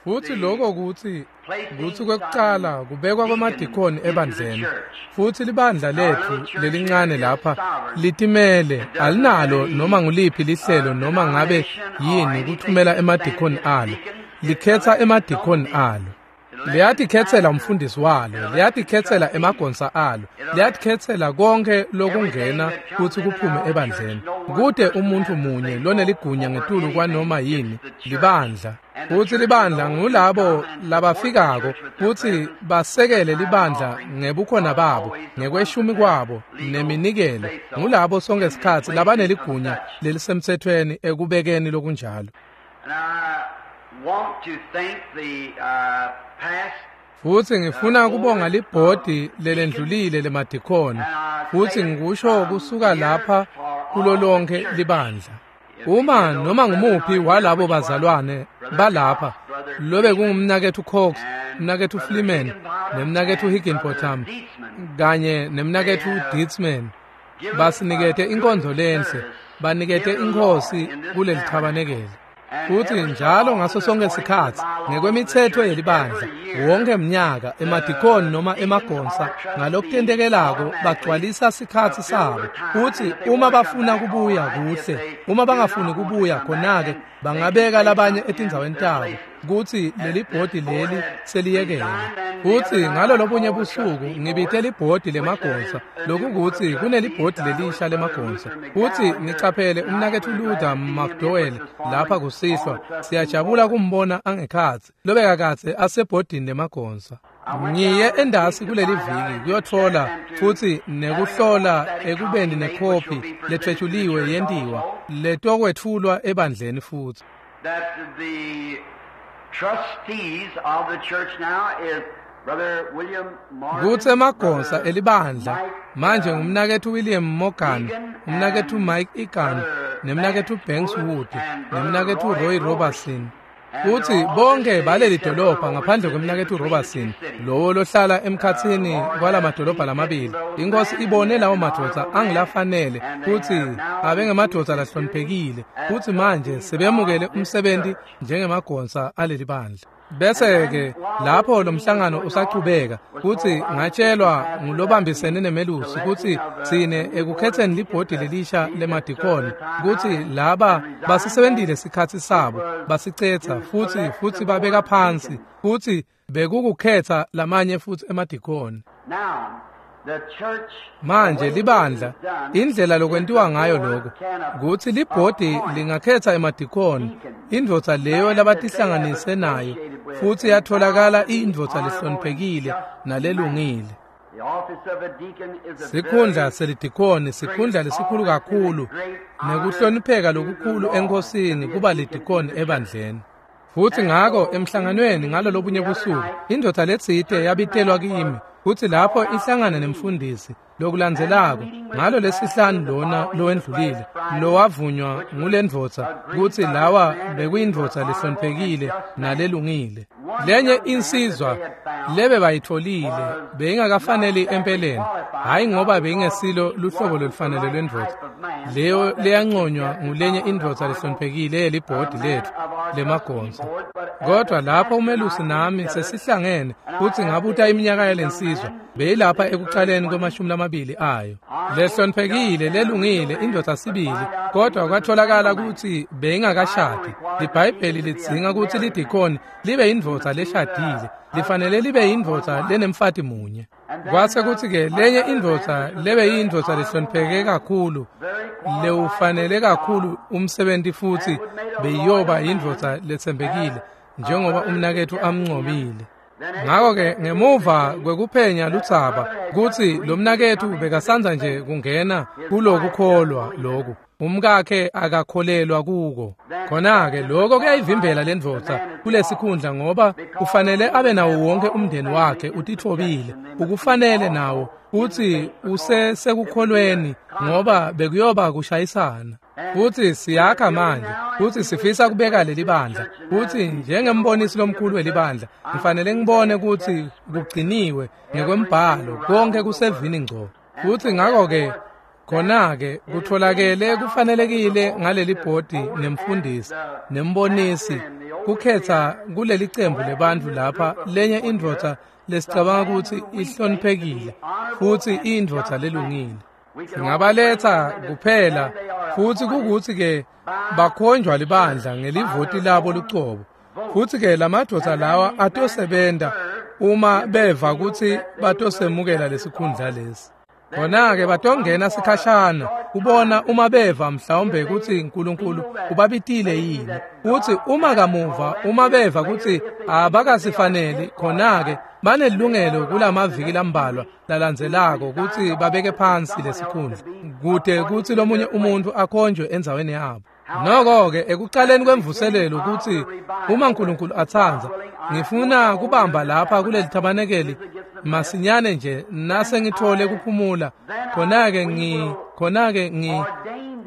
Futsi lokho kutsi kwekucala kubekwa kwemadikhoni ebandleni. Futsi libandla letfu lelincane lapha litimele, alinalo noma nguliphi lihlelo noma ngabe yini kuthumela emadikhoni alo. Likhetsa emadikhoni alo. Liyatikhetsela umfundisi walo, liyatikhetsela emagonsa alo, liyatikhetsela konke lokungena kutsi kuphume ebandleni. Kute umuntfu munye loneligunya ngetulu kwanoma yini, libandla. Futsi libandla ngulabo labafikako kutsi basekele libandla ngebukhona babo, ngekweshumi kwabo, neminikelo. Ngulabo sonke sikhatsi labaneligunya lelisemtsetfweni ekubekeni lokunjalo. Futsi ngifuna kubonga libhodi lelendlulile lemadikhoni, futsi ngikusho kusuka lapha kulo lonke libandla. Uma noma ngumuphi walabo bazalwane balapha, lobe kungumnaketfu Cox, umnaketfu Fleeman, nemnaketfu Higginbotham, kanye nemnaketfu Dietzman, basinikete inkonzo lenhle, banikete inkhosi kuleli thabanekele. Futsi njalo ngaso sonke sikhatsi ngekwemitsetfo yelibandla, wonke mnyaka emadikhoni noma emagonsa ngalokutentekelako bagcwalisa sikhatsi sabo. Futsi uma bafuna kubuya kuhle, uma bangafuni kubuya khona-ke bangabeka labanye etindzaweni tabo kutsi leli bhodi leli seliyekele. Futsi ngalo lobunye busuku ngibite libhodi lemagonsa, lokukutsi kunelibhodi lelisha lemagonsa. Futsi nicaphele umnaketfu Luther McDowell lapha kusihlwa, siyajabula kumbona angekhatsi, lobekakadze asebhodini lemagonsa. Ngiye endasi kuleli viki kuyotfola futsi nekuhlola ekubeni nekhophi letfwetjuliwe yentiwa letokwetfulwa ebandleni futsi. Kutsi emagonsa elibandla manje ngumnaketfu William Morgan, umnaketfu Mike Egan, nemnaketfu Banks Wood, nemnaketfu Roy Robertson. Futsi bonke baleli dolobha ngaphandle kwemnaketfu Robertson, lowo lohlala emkhatsini kwalamadolobha lamabili. Inkosi ibone lawo madvodza angilafanele futsi abengemadvodza lahloniphekile, futsi manje sebemukele umsebenti njengemagonsa aleli bandla. Bese-ke lapho lo mhlangano usachubeka, futsi ngatshelwa ngulobambisene nemelusi kutsi tsine ekukhetseni libhodi lelisha lemadikhoni kutsi laba basisebentile sikhatsi sabo, basicetsa futsi babeka phansi, futsi bekukukhetsa lamanye futsi emadikhoni. Manje libandla, indlela lokwentiwa ngayo lokho, kutsi libhodi lingakhetsa emadikhoni, indvodza leyo labatihlanganise nayo, futsi yatholakala iyindvodza lehloniphekile nalelungile. Sikhundla selidikhoni sikhundla lesikhulu kakhulu nekuhlonipheka lokukhulu enkhosini kuba lidikhoni ebandleni. Futsi ngako emhlanganweni ngalo lobunye busuku, indvodza letsite yabitelwa kimi, futsi lapho ihlangana nemfundisi lokulandzelako ngalo lesihlanu lona lowendlulile, lowavunywa ngulendvodza kutsi lawa bekuyindvodza lehloniphekile nalelungile. Lenye insizwa lebe bayitfolile beyingakafaneli empeleni, hhayi ngoba beyingesilo luhlobo lolufanele lwendvodza leyo leyanconywa ngulenye indvodza lehloniphekile yelibhodi letfu lemagonsa. Kodwa lapho umelusi nami sesihlangene futsi ngabuta iminyaka yalensizwa, beyilapha ekucaleni kwema-20 ayo. Lehloniphekile, lelungile, indvodza sibili, kodwa kwatholakala kutsi beyingakashadi. LiBhayibheli lidzinga kutsi lidikhoni libe yindvodza leshadile, lifanele libe yindvodza lenemfati munye. Kwase kutsi-ke lenye indvodza lebe yindvodza lehlonipheke kakhulu, lewufanele kakhulu umsebenti futsi beyiyoba yindvodza letsembekile njengoba umnaketfu amncomile. Ngako-ke ngemuva kwekuphenya ludzaba kutsi lo mnaketfu bekasandza nje kungena kulokukholwa loku, umkakhe akakholelwa kuko. Khona-ke lokho kuyayivimbela lendvodza kulesikhundla ngoba kufanele abe nawo wonke umndeni wakhe utitfobile, ukufanele nawo futsi usesekukholweni ngoba bekuyoba kushayisana. Futsi siyakha manje, futsi sifisa kubeka leli bandla, futsi njengembonisi lomkhulu welibandla ngifanele ngibone kutsi kugciniwe ngekwembhalo konke kusevini ngco. Futsi ngako-ke Khona-ke kutholakele kufanelekile ngaleli bhodi nemfundisi nembonisi kukhetha kuleli cembu lebantfu lapha lenye indvodza lesicabanga kutsi ihloniphekile futsi iyindvodza lelungile. Singabaletha kuphela futsi kukuthi-ke bakhonjwa libandla ngelivoti labo lucobo. Futsi-ke lamadvodza lawa atosebenta uma beva kutsi batosemukela lesikhundla lesi. Khona-ke batongena sikhashana kubona uma beva mhlawumbe kutsi uNkulunkulu ubabitile yini. Futsi uma kamuva uma beva kutsi abakasifaneli, khona-ke banelungelo kulamaviki lambalwa lalandzelako kutsi babeke phansi lesikhundla kute kutsi lomunye umuntu akhonjwe endzaweni yabo. Noko-ke ekucaleni kwemvuselelo kutsi uma uNkulunkulu atsandza, ngifuna kubamba lapha kuleli thabanekeli masinyane nje nase ngithole kuphumula, khona-ke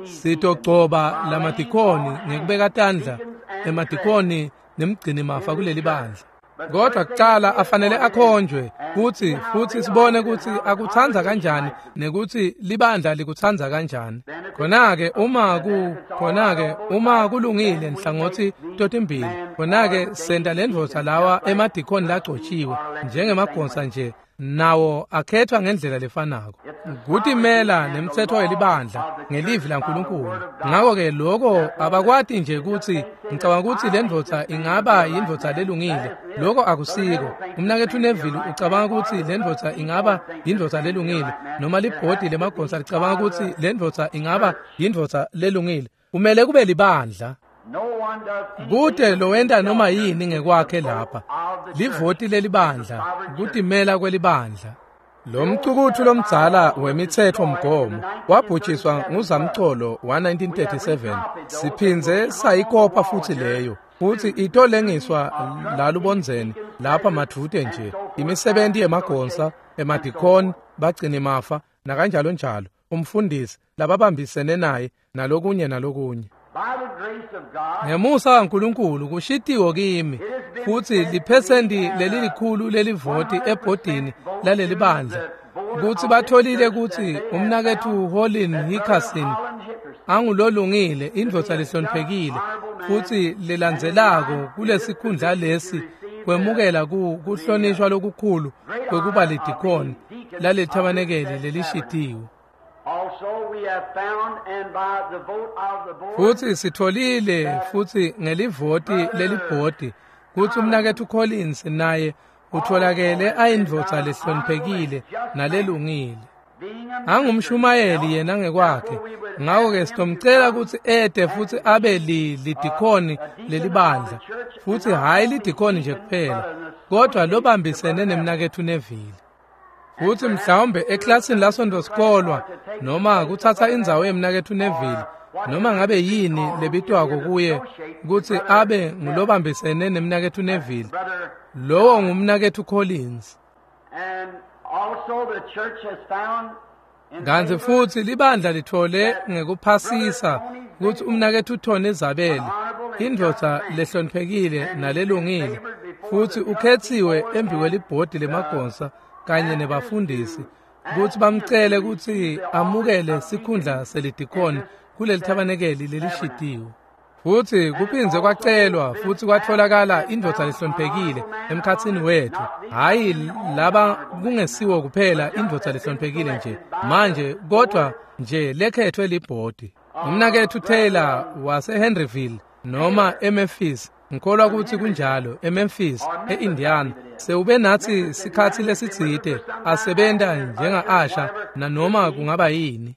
sitogcoba lamadikoni ngekubeka tandla emadikoni nemgcinimafa kuleli bandla. Kodwa kucala afanele akhonjwe futsi sibone kutsi akutsandza kanjani nekuthi libandla likutsandza kanjani. Khona-ke uma kulungile nhlangothi totimbili, khona-ke senta lendvodza lawa emadikoni lagcotshiwe njengemagonsa nje, nawo akhethwa ngendlela lefanako. Kutimela nemtsetfo welibandla ngelivi laNkulunkulu. Ngako-ke lokho abakwati nje kutsi ngicabanga kutsi lendvodza ingaba yindvodza lelungile. Lokho akusiko. Umnaketfu Neville ucabanga kutsi lendvodza ingaba yindvodza lelungile, noma libhodi lemagonsa licabanga kutsi lendvodza ingaba yindvodza lelungile. Kumele kube libandla. Kute lowenta noma yini ngekwakhe lapha. Livoti lelibandla, kutimela kwelibandla. Lo mcukutfu lomdzala wemitsetfo mgomo wabhujiswa nguzamcolo wa-1937. Siphindze sayikopa futsi leyo, futsi itolengiswa lalubondzeni lapha madvute nje. Imisebenti yemagonsa, emadikoni, bagcinimafa nakanjalo njalo, umfundisi lababambisene naye nalokunye nalokunye. Ngemusa kaNkulunkulu kushitiwo kimi futsi liphesenti lelilikhulu lelivoti ebhodini laleli bandla kutsi batholile kutsi umnaketfu Holin Hickerson angulolungile, indvodza lehloniphekile futsi lelandzelako kulesikhundla lesi kwemukela kuhlonishwa lokukhulu kwekuba lidikoni lalelithabanekeli lelishitiwe. Futsi sitholile futsi ngelivoti lelibhodi kutsi umnaketfu Collins naye utholakele ayindvodza lehloniphekile nalelungile. Angumshumayeli yena ngekwakhe, ngako-ke sitomcela kutsi ete futsi abe lidikoni lelibandla, futsi hhayi lidikoni nje kuphela, kodwa lobambisene nemnaketfu Neville. Futsi mhlawumbe eklasini lasonto-sikolwa noma kutsatsa indzawo yemnaketfu Neville, noma ngabe yini lebitwako kuye kutsi abe ngulobambisene nemnaketfu Neville, lowo ngumnaketfu Collins. Kantsi futsi libandla litfole ngekuphasisa kutsi umnaketfu Tony Zabeli, indvodza lehloniphekile nalelungile, futsi ukhetsiwe embikwelibhodi lemagonsa kanye nebafundisi kutsi bamcele kutsi amukele sikhundla selidikoni kuleli thabanekeli lelishitiwe. Futsi kuphindze kwacelwa futsi kwatfolakala indvodza lehloniphekile emkhatsini wetfu, hhayi laba kungesiwo kuphela indvodza lehloniphekile nje manje, kodwa nje lekhethwe libhodi. Umnaketfu Taylor waseHenryville noma eMemphis, ngikholwa kutsi kunjalo, eMemphis, e-Indiana, sewube natsi sikhatsi lesitsite asebenta njenga-asha nanoma kungaba yini.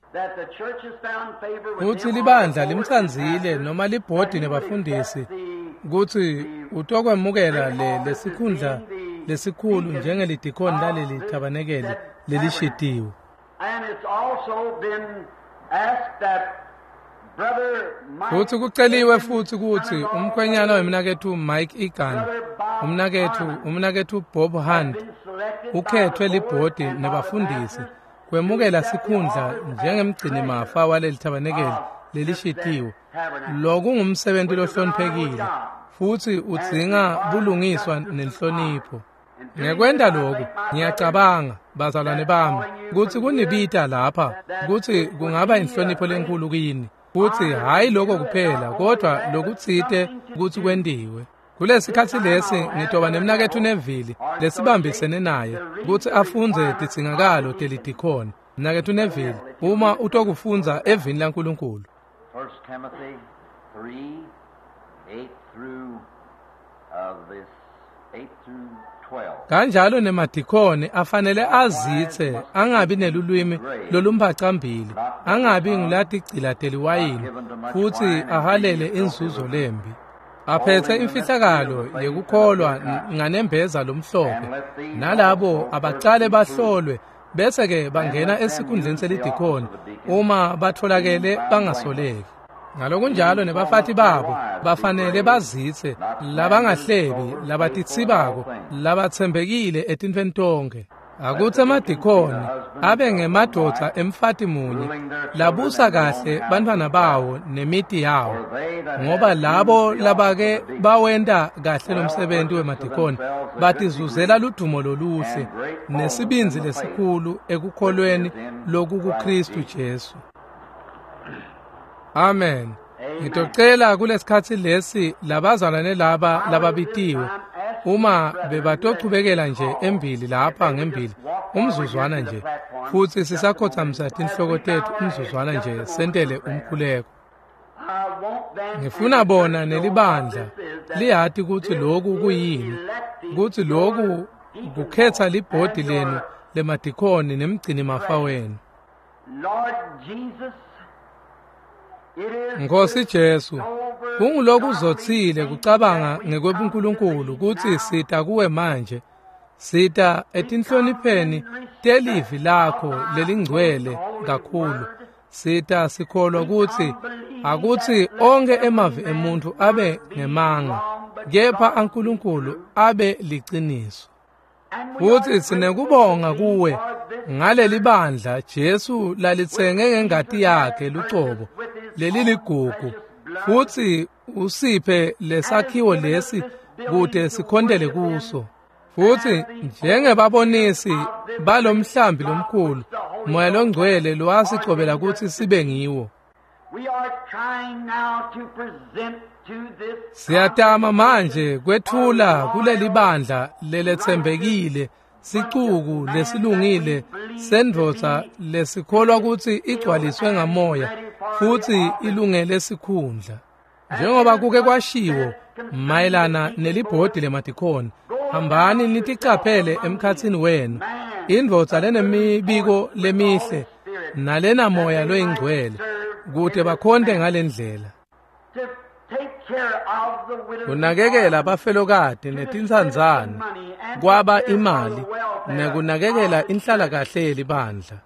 Futsi libandla limtsandzile noma libhodi nebafundisi kutsi utokwemukela lesikhundla lesikhulu njengelidikoni laleli thabanekeli lelishitiwe. Futsi kuceliwe futsi kutsi umkhwenyana wemnaketfu Mike Egan, umnaketfu Bob Hunt, ukhethwe libhodi nebafundisi kwemukela sikhundla njengemgcinimafa waleli thabanekeli lelishitiwe. Lokungumsebenti lohloniphekile futsi udzinga bulungiswa nenhlonipho. Ngekwenta lokhu, ngiyacabanga, bazalwane bami, kutsi kunibita lapha, kutsi kungaba inhlonipho lenkulu kini, kutsi hhayi lokho kuphela, kodwa lokutsite kutsi kwentiwe. Kulesikhatsi lesi ngitoba nemnaketfu Neville lesibambisene naye kutsi afundze tidzingakalo telidikhoni. Mnaketfu Neville, uma utokufundza evini laNkulunkulu. 1 Timothy 3, 8 through this 8 through 12. Kanjalo nemadikhoni afanele azitse angabi nelulwimi lolumphacambili, angabi ngulatigcila teliwayini, futsi ahalele inzuzo lembi. Aphethe imfihlakalo yekukholwa nganembeza lomhlophe, nalabo abacale bahlolwe bese-ke bangena esikhundleni selidikhoni uma batholakele bangasoleki. Ngalokunjalo nebafati babo bafanele bazitse, labangahlebi, labatitsibako, labatsembekile etintfweni tonkhe. Akutsi emadikhoni abe ngemadvodza emfati munye labusa kahle bantfwana bawo nemiti yawo, ngoba labo labake bawenta kahle lomsebenti wemadikhoni batizuzela ludumo loluhle nesibindzi lesikhulu ekukholweni lokukuKristu Jesu. Amen. Ngitocela kulesikhatsi lesi labazalwane laba lababitiwe uma bebatochubekela nje embili lapha ngembili umzuzwana nje, futsi sisakhothamisa tinhloko tetfu umzuzwana nje sentele umkhuleko. Ngifuna bona nelibandla liyati kutsi loku kuyini, kutsi loku kukhetsa libhodi lenu lemadikhoni nemgcini mafa wenu. Nkosi Jesu, kungulokuzotsile kucabanga ngekwebuNkulunkulu kutsi sita kuwe manje, sita etinhlonipheni telivi lakho lelingcwele kakhulu. Sita sikholwa kutsi akutsi onkhe emavi emuntfu abe ngemanga, kepha aNkulunkulu abe liciniso. Futsi sinekubonga kuwe ngaleli bandla Jesu lalitsenge ngengati yakhe lucobo leliligugu, futsi usiphe lesakhiwo lesi kute sikhontele kuso. Futsi njengebabonisi balomhlambi lomkhulu, Moya loNgcwele lowasigcobela kutsi sibe ngiwo. Siyatama manje kwetfula kuleli bandla leletsembekile sicuku lesilungile sendvodza lesikholwa kutsi igcwaliswe ngamoya futsi ilungele sikhundla. Njengoba kuke kwashiwo mayelana nelibhodi lemadikhoni, hambani niticaphele emkhatsini wenu indvodza lenemibiko lemihle nalenamoya loyingcwele, kute bakhonte ngalendlela. Kunakekela abafelokati netintsandzane, kwaba imali, nekunakekela inhlalakahle yelibandla.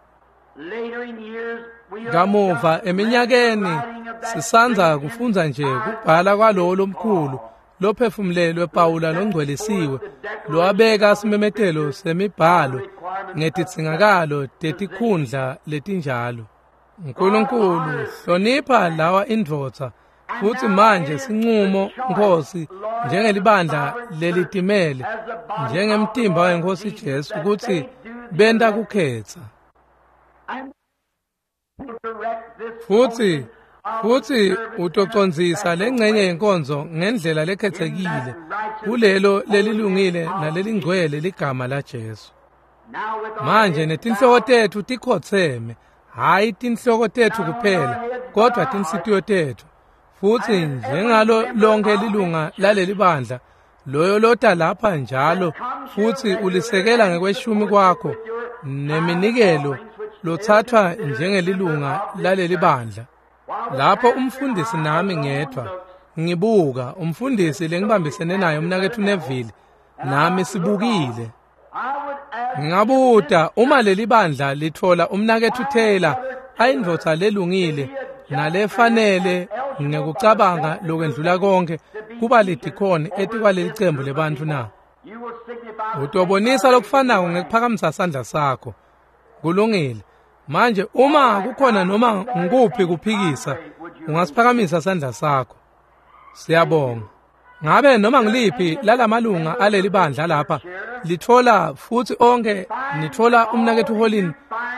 Kamuva eminyakeni sisandza kufundza nje kubhala kwalowo lomkhulu lophefumulelwe Pawula longcwelisiwe lowabeka simemetelo semibhalo ngetidzingakalo tetikhundla letinjalo. Nkulunkulu, hlonipha lawa indvodza, futsi manje sincumo Nkosi njengelibandla lelitimele njengemtimba weNkosi Jesu kutsi benta kukhetsa. Futsi utocondzisa lengcenye yenkonzo ngendlela lekhetsekile kulelo lelilungile nalelingcwele ligama laJesu. Manje netinhloko tetfu tikhotseme, hhayi tinhloko tetfu kuphela, kodwa tinhlitiyo tetfu. Futsi njengalo lonke lilunga laleli bandla, loyo lota lapha njalo futsi ulisekela ngekweshumi kwakho neminikelo lothathwa njengelilunga laleli bandla. Lapho umfundisi nami ngedwa ngibuka umfundisi lengibambisene naye umnaketfu Neville nami sibukile. Ngingabuta uma leli bandla litfola umnaketfu Taylor ayindvodza lelungile nalefanele ngekucabanga lokwendlula konke kuba lidikhoni etikwaleli cembu lebantfu na? Utobonisa lokufanako ngekuphakamisa sandla sakho. Kulungile. Manje uma kukhona noma ngikuphi kuphikisa, ungasiphakamisa sandla sakho. Siyabonga. Ngabe noma ngiliphi lalamalunga aleli bandla lapha litfola futsi onke nitfola umnaketfu Holin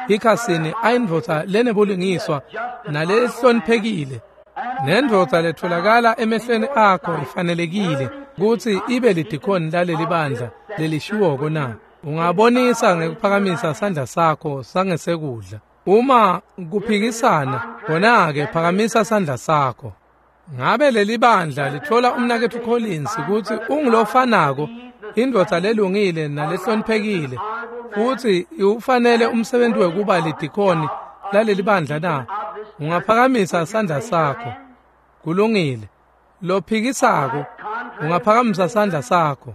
Hickerson ayindvodza lenebulungiswa nalehloniphekile, nendvodza letfolakala emehlweni akho ifanelekile kutsi ibe lidikhoni laleli bandla lelishiwoko na? Ungabonisa ngekuphakamisa sandla sakho sangesekudla. Uma kuphikisana, khona-ke phakamisa sandla sakho. Ngabe leli bandla litfola umnaketfu Collins kutsi ungulofanako, indvodza lelungile nalehloniphekile, futsi iwufanele umsebenzi wekuba lidikhoni laleli bandla na? Ungaphakamisa sandla sakho. Kulungile. Lophikisako, ungaphakamisa sandla sakho.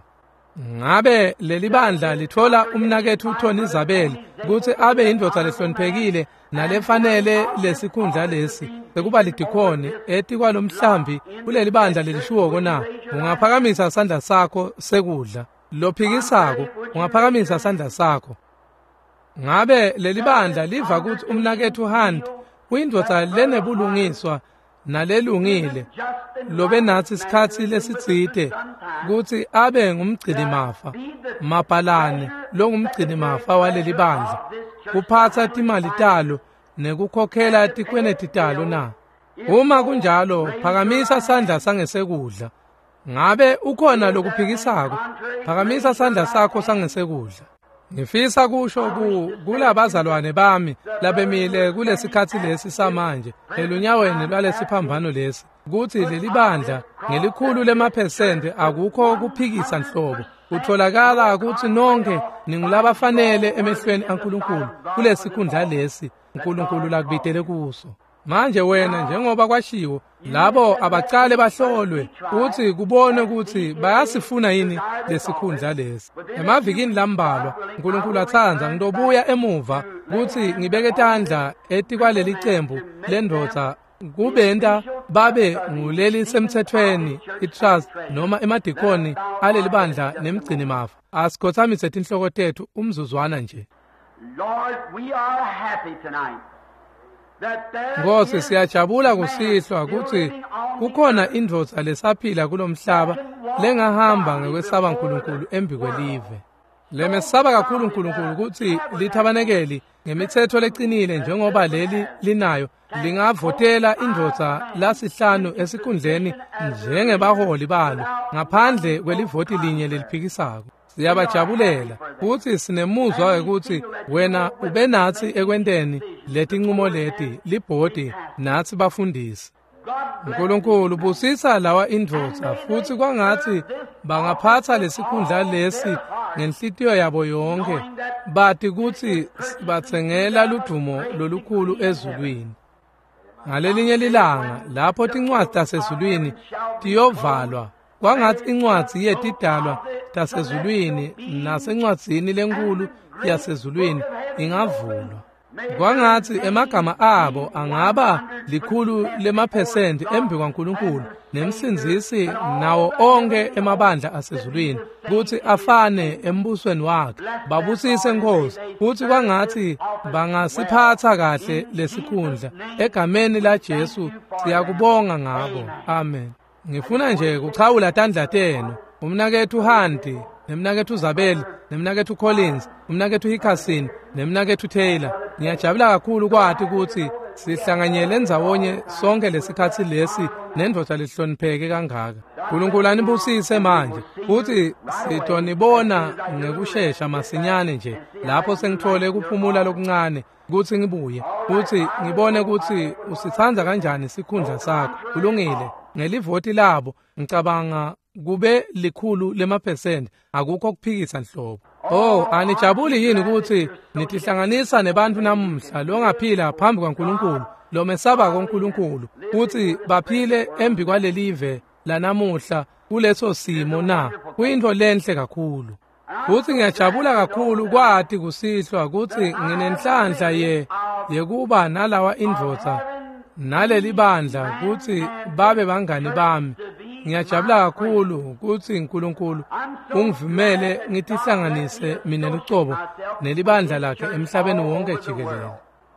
Ngabe leli bandla litfola umnaketfu Tony Zabel kutsi abe indvodza lehloniphekile nalefanele lesikhundla lesi sekuba lidikhoni etikwalomhlambi kuleli bandla lelishiwoko na? Ungaphakamisa sandla sakho sekudla. Lophikisako, ungaphakamisa sandla sakho. Ngabe leli bandla liva kutsi umnaketfu Hunt uyindvodza lenebulungiswa nalelungile lobe natsi isikhatsi lesitsite kutsi abe ngumgcinimafa mabhalane longumgcinimafa waleli bandla, kuphatsa timali talo nekukhokhela tikweneti talo na? Uma kunjalo, phakamisa sandla sangesekudla. Ngabe ukhona lokuphikisako? Phakamisa sandla sakho sangesekudla. Ngifisa kusho kulabazalwane bami labemile kulesikhatsi lesi samanje elunyaweni lwalesiphambano lesi kutsi leli bandla ngelikhulu lemaphesenti akukho kuphikisa nhlobo. Kutholakala kutsi nonke ningulabafanele emehlweni aNkulunkulu kulesikhundla lesi uNkulunkulu lakubitele kuso. Manje wena, njengoba kwashiwo, labo abacale bahlolwe uthi kubone ukuthi bayasifuna yini lesikhundla lesi. Emavikini lambalwa, uNkulunkulu atsandza, ngitobuya emuva kutsi ngibeke tandla etikwaleli cembu lendvodza kubenta babe nguleli semtsetfweni i-trust noma emadikoni aleli bandla nemgcinimafa. Asikhothamise tinhloko tetfu umzuzwana nje. Lord, we are happy tonight. Nkosi, siyajabula kusihlwa kutsi kukhona indvodza lesaphila kulomhlaba lengahamba ngekwesaba uNkulunkulu embikwelive. Lemesaba kakhulu uNkulunkulu kutsi lithabanekeli ngemitsetfo lecinile njengoba leli linayo lingavotela indvodza lasihlanu esikhundleni njengebaholi balo ngaphandle kwelivoti linye leliphikisako. Siyabajabulela futsi sinemuzwa wekutsi wena ube natsi ekwenteni letinqumo leti libhodi natsi bafundisi. uNkulunkulu busisa lawa indvodza futsi kwangatsi bangaphatsa lesikhundla lesi ngenhlitiyo yabo yonke, bati kutsi sibatsengela ludumo lolukhulu ezulwini. Ngalelinye lilanga lapho tincwadzi tasezulwini tiyovalwa, kwangatsi incwadzi yetidalwa tasezulwini nasencwadzini lenkulu yasezulwini ingavulwa. Kwangatsi emagama abo angaba 100% embi kwaNkulunkulu nemsindzisi nawo onke emabandla asezulwini kutsi afane embusweni wakhe. Babusise Nkosi, futsi kwangatsi bangasiphatsa kahle lesikhundla. Egameni la Jesu siyakubonga ngako. Amen. Ngifuna nje kuchawula tandla tenu. Umnaketfu Hunt, nemnaketfu Zabel, nemnaketfu Collins, umnaketfu Hickerson, nemnaketfu Taylor. Ngiyajabula kakhulu kwati kutsi sihlanganyele ndzawonye sonke lesikhatsi lesi nendvodza lehlonipheke kangaka. uNkulunkulu anibusise manje, futsi sitonibona ngekushesha masinyane nje lapho sengithole kuphumula lokuncane kutsi ngibuye futsi ngibone kutsi usitsandza kanjani sikhundla sakho. Kulungile. Ngelivoti labo ngicabanga kube 100%, akukho kuphikisa nhlobo. Oh, anijabuli yini kutsi nitihlanganisa nebantfu namuhla longaphila phambi kwaNkulunkulu, lomesabako uNkulunkulu, kutsi baphile embi kwalelive lanamuhla kuleso simo na? Kuyintfo lenhle kakhulu. Futsi ngiyajabula kakhulu kwati kusihlwa kutsi nginenhlanhla yekuba nalawa indvodza naleli bandla kutsi babe bangani bami. Ngiyajabula kakhulu kutsi uNkulunkulu ungivumele ngitihlanganise mina lucobo nelibandla lakhe emhlabeni wonke jikelele.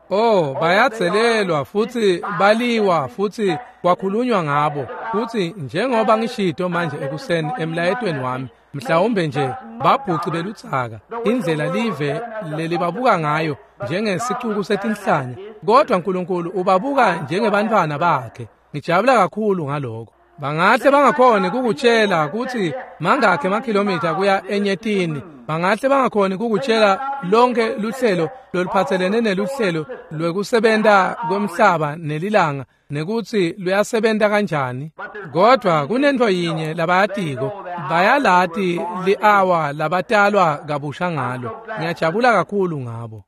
Oh, bayadzelelwa futhi baliwa futhi kwakhulunywa ngabo. Futhi njengoba ngishito manje ekuseni emlayetweni wami, mhlawumbe nje babhuci beludzaka, indlela live lelibabuka ngayo njengesicuku setinhlanya, kodwa uNkulunkulu ubabuka njengebantwana bakhe. Ngijabula kakhulu ngaloko. Bangahle bangakhoni kukutshela ukuthi mangakhe emakhilomitha kuya enyetini. Bangahle bangakhoni kukutshela lonke luhlelo loluphathelene neluhlelo lwekusebenta kwemhlaba nelilanga nekuthi luyasebenta kanjani. Kodwa kunento yinye labayatiko, bayalati li-awa labatalwa kabusha ngalo. Ngiyajabula kakhulu ngabo.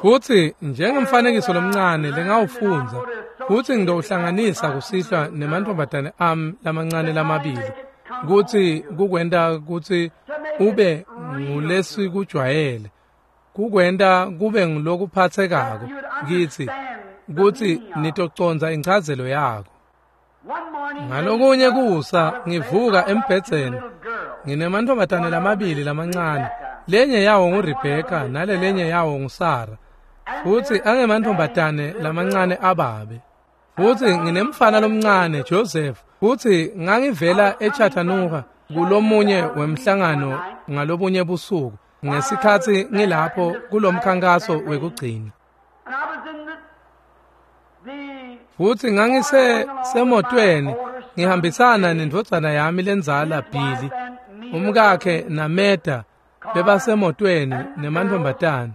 Futhi njengemfanekiso lomncane lengawufundza, futhi ngidowuhlanganisa kusihlwa nemantfombatane ami lamancane lamabili, kutsi kukwenta kutsi ube ngulesikujwayele, kukwenta kube ngulokuphatsekako kitsi, kutsi nitocondza inchazelo yako. Ngalokunye kusa ngivuka embhedzeni, nginemantfombatane lamabili lamancane, lenye yawo nguRebecca nale lenye yawo nguSara, futhi angemantfombatane lamancane ababe. Futhi nginemfana lomncane Joseph, futhi ngangivela eChattanooga kulomunye wemhlangano ngalobunye busuku ngesikhatsi ngilapho kulomkhankaso wekugcina. Futhi ngangisemotweni ngihambisana nendvodzana yami lendzala Billy, umkakhe naMeda bebasemotweni nemantfombatane.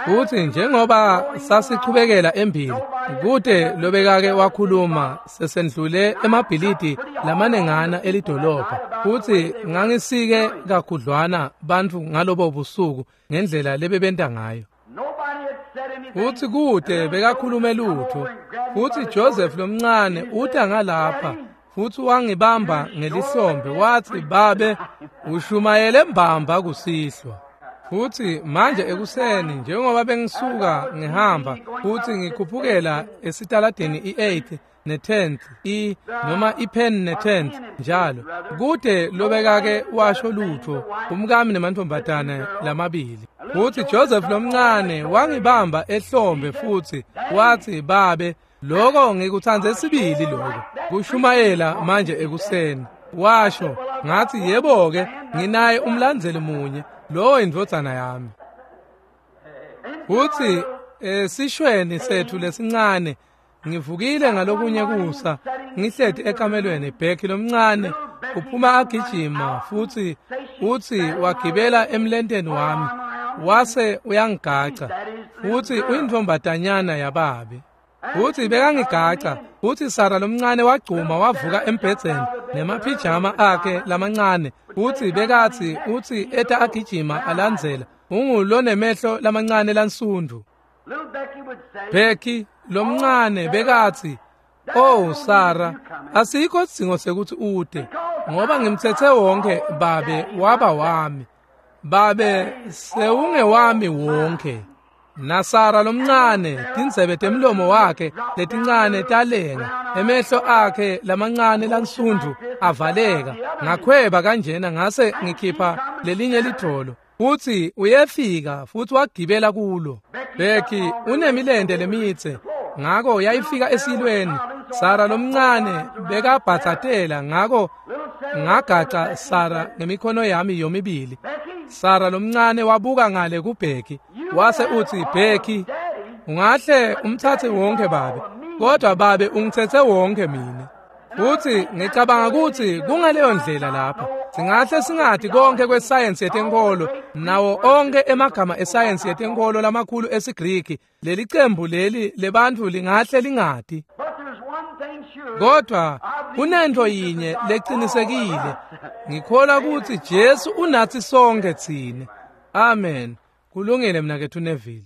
Futhi njengoba sasichubekela embili, kude lobekake wakhuluma sesendlule emabhilidi lamanengana elidolobha. Futhi ngangisike kakhudlwana bantfu ngalobo busuku ngendlela lebebenta ngayo. Futhi kude bekakhulume lutho. Futhi Joseph lomncane uta ngalapha futhi wangibamba ngelihlombe wathi, "Babe, ushumayele mbamba kusihlwa." Futhi manje ekuseni njengoba bengisuka ngihamba futhi ngikhuphukela esitaladini i-8 ne-10th i noma i-Penn ne-10th njalo, kude lobekake washo lutho umkami nemantfombatane lamabili. Futhi Joseph lomncane wangibamba ehlombe futhi wathi, "Babe, lokho ngikuthandze sibili lokho kushumayela manje ekuseni." Washo, ngathi, "Yebo-ke, nginaye umlandzeli munye, lowo indvodzana yami." Futhi esishweni sethu lesincane ngivukile ngalokunye kusa ngihleti ekamelweni, Becky lomncane uphuma agijima futhi uthi wagibela emlenteni wami wase uyangigaca, futhi uyintombatanyana yababe. Futhi bekangigaca, futhi Sara lomncane wagcuma wavuka embhedzeni nemaphijama akhe lamancane, futhi bekathi uthi eta agijima alandzela, ungulonemehlo lamancane lansundu. Becky lomncane bekathi, "Oh Sara, asikho sidzingo sekuthi ude, ngoba ngimthethe wonke babe waba wami. Babe sewungewami wonke." NaSara lomncane tindzebe temlomo wakhe letincane talenga, emehlo akhe lamancane lansundu avaleka. Ngakhweba kanjena ngase ngikhipha lelinye lidvolo. Futhi uyefika futhi wagibela kulo. Becky unemilente lemitse, ngako yayifika esilweni. Sara lomncane bekabhatsatela, ngako ngagaca Sara ngemikhono yami yomibili. Sara lomncane wabuka ngale kuBecky wase uthi, "Becky, ungahle umthathe wonke babe, kodwa babe ungithethe wonke mina." Futhi ngicabanga ukuthi kungaleyo ndlela lapha. Singahle singathi konke kwesayensi yetenkolo nawo onke emagama esayensi yetenkolo lamakhulu esiGriki, leli cembu leli lebantfu lingahle lingati. Kodwa kunento yinye leqinisekile, ngikholwa ukuthi Jesu unathi sonke thina. Amen. Kulungile mnakethu Neville.